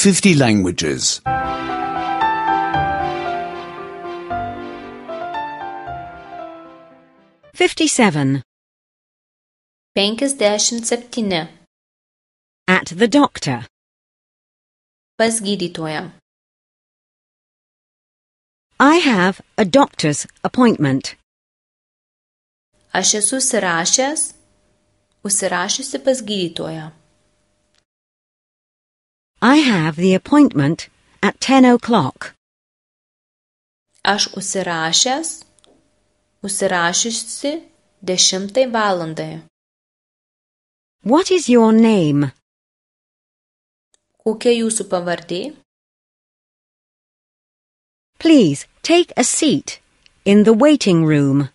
50 languages. 57. 57. At the doctor. Pas gydytoją. I have a doctor's appointment. Aš esu užsirašiusi pas gydytoją. I have the appointment at 10 o'clock. Aš užsirašiusi 10 valandai. What is your name? Kokia jūsų pavardė? Please take a seat in the waiting room.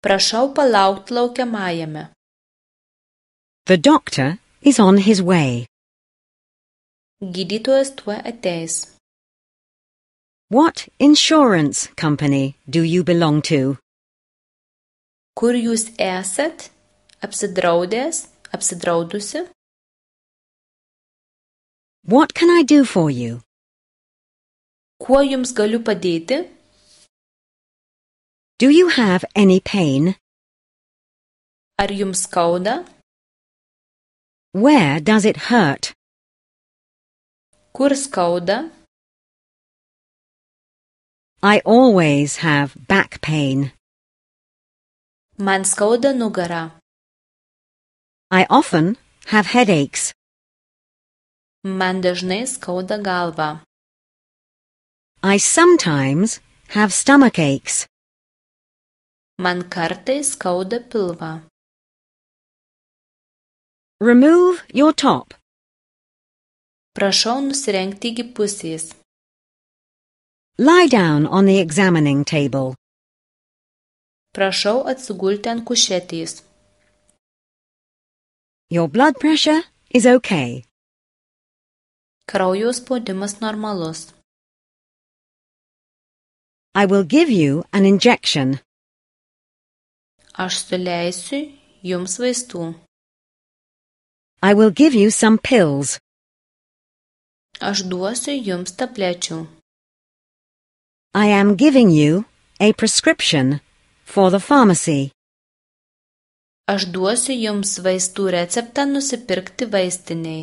Prašau palaukti laukiamajame. The doctor is on his way. Gydytojas tuoj ateis. What insurance company do you belong to? Kur jūs esat? Apsidraudusi? What can I do for you? Kuo jums galiu padėti? Do you have any pain? Ar jums skauda? Where does it hurt? Kur skauda? I always have back pain. Man skauda nugarą. I often have headaches. Man dažnai skauda galvą. I sometimes have stomach aches. Man kartais skauda pilvą. Remove your top. Prašau nusirengti iki pusės. Lie down on the examining table. Prašau atsigulti ant kušetės. Your blood pressure is okay. Kraujo spaudimas normalus. I will give you an injection. Aš suleisiu jums vaistų. I will give you some pills. Aš duosiu jums tablečių. I am giving you a prescription for the pharmacy. Aš duosiu jums vaistų receptą nusipirkti vaistinėj.